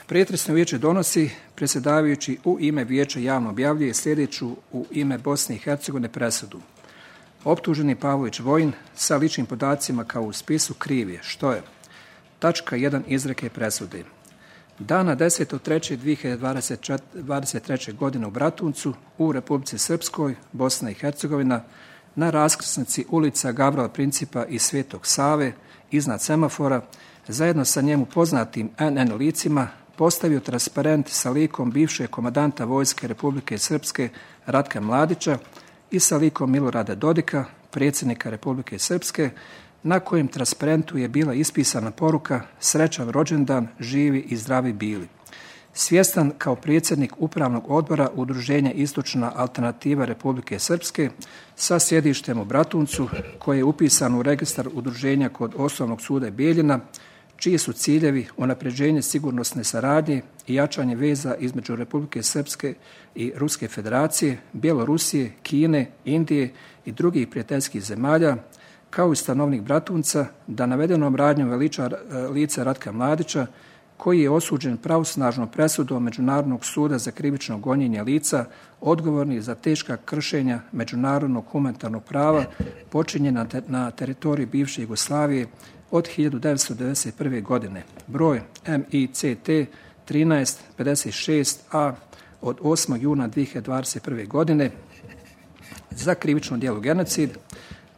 Pretresno vijeće donosi, predsjedavajući u ime vijeća javno objavljuje sljedeću u ime Bosne i Hercegovine presudu. Optuženi Pavlović Vojin sa ličnim podacima kao u spisu kriv je, što je tačka 1 izreke presude. Dana 10.3.2023. godine u Bratuncu, u Republici Srpskoj, Bosna i Hercegovina, na raskrsnici ulica Gavrila Principa i Svetog Save, iznad semafora, zajedno sa njemu poznatim NN licima, postavio transparent sa likom bivšeg komandanta Vojske Republike Srpske Ratka Mladića i sa likom Milorada Dodika, predsjednika Republike Srpske, na kojem transparentu je bila ispisana poruka "Srećan rođendan, živi i zdravi bili". Svjestan kao predsjednik Upravnog odbora Udruženja Istočna alternativa Republike Srpske sa sjedištem u Bratuncu, koje je upisano u registar udruženja kod Osnovnog suda Bijeljina, čiji su ciljevi unapređenje sigurnosne saradnje i jačanje veza između Republike Srpske i Ruske Federacije, Bjelorusije, Kine, Indije i drugih prijateljskih zemalja, kao i stanovnik Bratunca, da navedenom radnjom veliča lice Ratka Mladića, koji je osuđen pravosnažnom presudom Međunarodnog suda za krivično gonjenje lica odgovorni za teška kršenja međunarodnog humanitarnog prava počinjena na teritoriji bivše Jugoslavije od 1991. godine, broj MICT 1356A od 8. juna 2021. godine za krivično djelo genocid,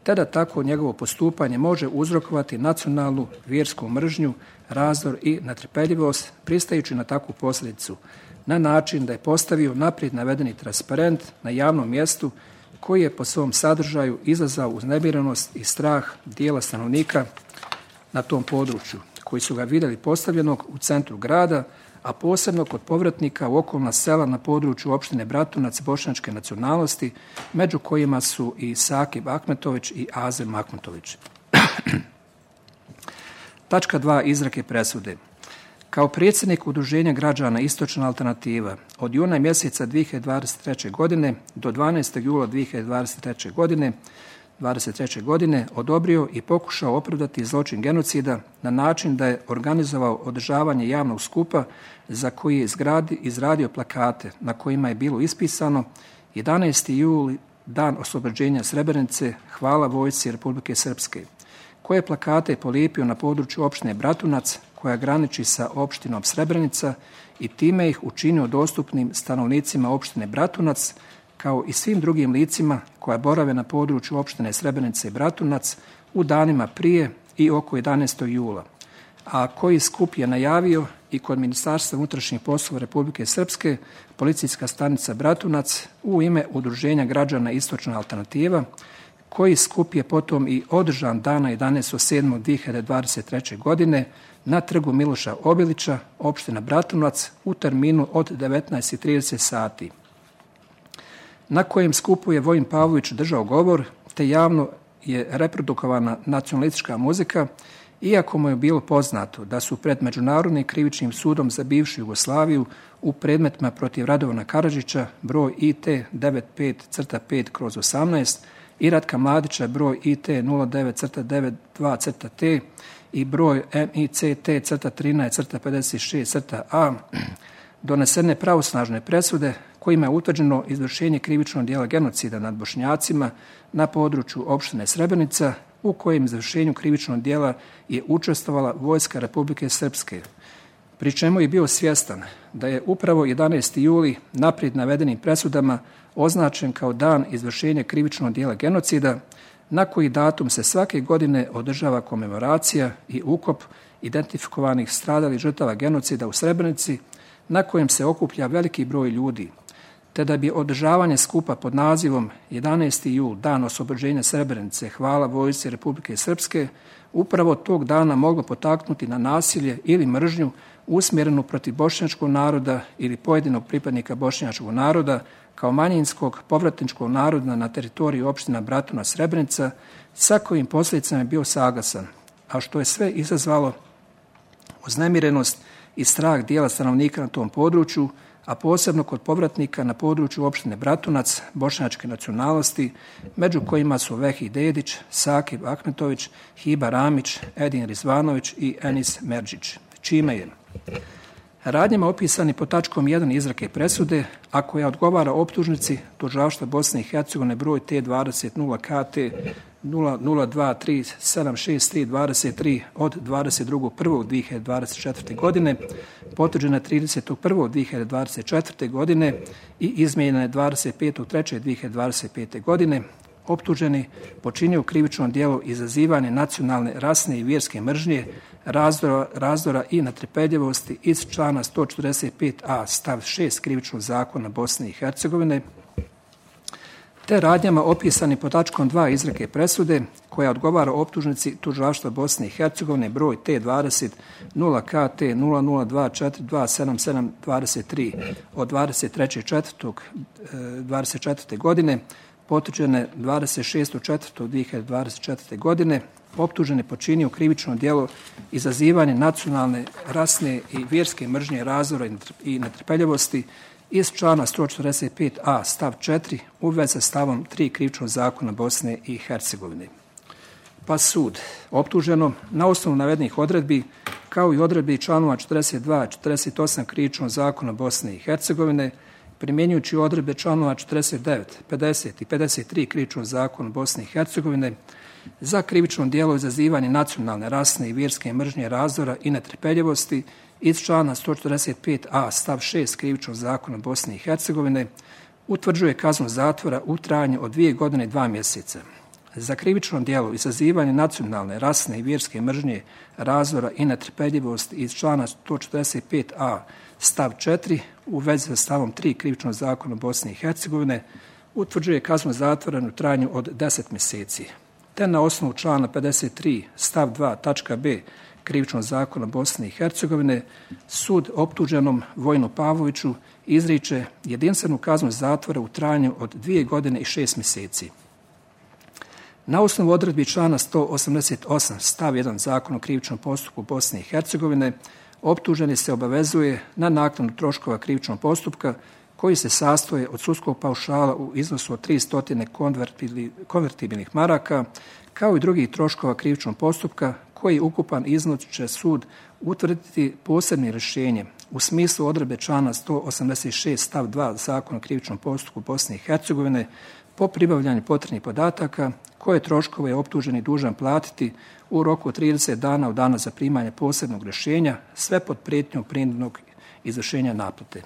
te da tako njegovo postupanje može uzrokovati nacionalnu vjersku mržnju, razdor i netrpeljivost, pristajući na takvu posljedicu, na način da je postavio naprijed navedeni transparent na javnom mjestu koji je po svom sadržaju izazvao uznemirenost i strah dijela stanovnika na tom području, koji su ga vidjeli postavljenog u centru grada, a posebno kod povratnika u okolna sela na području opštine Bratunac bošnjačke nacionalnosti, među kojima su i Sakib Ahmetović i Azem Ahmetović. Tačka 2 izreke presude. Kao predsjednik Udruženja građana Istočna alternativa od juna mjeseca 2023. godine do 12. jula 2023. godine odobrio i pokušao opravdati zločin genocida na način da je organizovao održavanje javnog skupa za koji je izradio plakate na kojima je bilo ispisano 11. juli, dan oslobođenja Srebrenice, hvala vojsci Republike Srpske, koje plakate je polijepio na području opštine Bratunac, koja graniči sa opštinom Srebrenica, i time ih učinio dostupnim stanovnicima opštine Bratunac, kao i svim drugim licima koja borave na području opštine Srebrenice i Bratunac u danima prije i oko 11. jula, a koji skup je najavio i kod Ministarstva unutrašnjih poslova Republike Srpske, policijska stanica Bratunac u ime Udruženja građana Istočna alternativa, koji skup je potom i održan dana 11.7.2023. godine na trgu Miloša Obilića, opština Bratunac, u terminu od 19.30 sati, na kojem skupu je Vojin Pavlović držao govor, te javno je reprodukovana nacionalistička muzika, iako mu je bilo poznato da su pred Međunarodnim krivičnim sudom za bivšu Jugoslaviju u predmetima protiv Radovana Karadžića broj IT 95-5/18 i Ratka Mladića broj IT 09-92-T i broj MICT-13-56-A donesene pravosnažne presude kojima je utvrđeno izvršenje krivičnog djela genocida nad Bošnjacima na području opštine Srebrenica, u kojem izvršenju krivičnog djela je učestvovala Vojska Republike Srpske, pri čemu je bio svjestan da je upravo 11. juli naprijed navedenim presudama označen kao dan izvršenja krivičnog djela genocida, na koji datum se svake godine održava komemoracija i ukop identifikovanih stradalih žrtava genocida u Srebrenici, na kojem se okuplja veliki broj ljudi, te da bi održavanje skupa pod nazivom 11. jul, dan oslobođenja Srebrenice, hvala vojsci Republike Srpske, upravo tog dana moglo potaknuti na nasilje ili mržnju usmjerenu protiv bošnjačkog naroda ili pojedinog pripadnika bošnjačkog naroda kao manjinskog povratničkog naroda na teritoriji opština Bratunac Srebrenica, sa kojim posljedicama je bio saglasan, a što je sve izazvalo uznemirenost i strah dijela stanovnika na tom području, a posebno kod povratnika na području opštine Bratunac bošnjačke nacionalnosti, među kojima su Vehi Dedić, Sakib Ahmetović, Hiba Ramić, Edin Rizvanović i Enis Merdžić, čime je Radnjama opisani pod tačkom 1 izreke presude, a koja odgovara optužnici Tužilaštva Bosne i Hercegovine broj T20 KT 0023763323 od 22.1.2024. godine, potvrđena 30.1.2024. godine i izmijenjena 25.3.2025. godine, optuženi počinio krivično djelo izazivanje nacionalne, rasne i vjerske mržnje, razdora i netrpeljivosti iz člana 145a stav 6 krivičnog zakona Bosne i Hercegovine, te radnjama opisani pod tačkom 2 izreke presude koja odgovara optužnici Tužilaštva Bosne i Hercegovine broj T20 0KT 0024277723 od 23.4.2024. godine, potvrđene 26.4.2024. godine, optuženi počinio krivično djelo izazivanje nacionalne, rasne i vjerske mržnje, razdora i netrpeljivosti iz člana 145a stav 4 u vezi sa stavom 3 krivičnog zakona Bosne i Hercegovine. Pa sud optuženom na osnovu navedenih odredbi, kao i odredbi članova 42, 48 krivičnog zakona Bosne i Hercegovine, primjenjujući odredbe članova 49, 50 i 53 krivičnog zakona Bosne i Hercegovine, za krivično djelo izazivanje nacionalne, rasne i vjerske mržnje, razdora i netrpeljivosti iz člana 145a stav 6 krivičnog zakona Bosne i Hercegovine, utvrđuje kaznu zatvora u trajanju od 2 godine i 2 mjeseca. Za krivično djelo izazivanje nacionalne, rasne i vjerske mržnje, razdora i netrpeljivosti iz člana 145a stav 4 u vezi sa stavom 3 krivičnog zakona Bosne i Hercegovine, utvrđuje kaznu zatvora u trajanju od 10 mjeseci. Te na osnovu člana 53 stav 2 tačka b krivičnog zakona Bosne i Hercegovine, sud optuženom Vojinu Pavloviću izriče jedinstvenu kaznu zatvora u trajanju od 2 godine i 6 mjeseci. Na osnovu odredbi člana 188 stav 1 zakona o krivičnom postupku Bosne i Hercegovine, optuženi se obavezuje na naknadu troškova krivičnog postupka koji se sastoje od sudskog paušala u iznosu od 300 konvertibilnih maraka, kao i drugih troškova krivičnog postupka koji ukupan iznos će sud utvrditi posebnim rješenjem u smislu odredbe člana 186 stav 2 zakona o krivičnom postupku Bosne i Hercegovine po pribavljanju potrebnih podataka koje troškove je optuženi dužan platiti u roku od 30 dana od dana zaprimanja posebnog rješenja, sve pod prijetnjom prinudnog izvršenja naplate.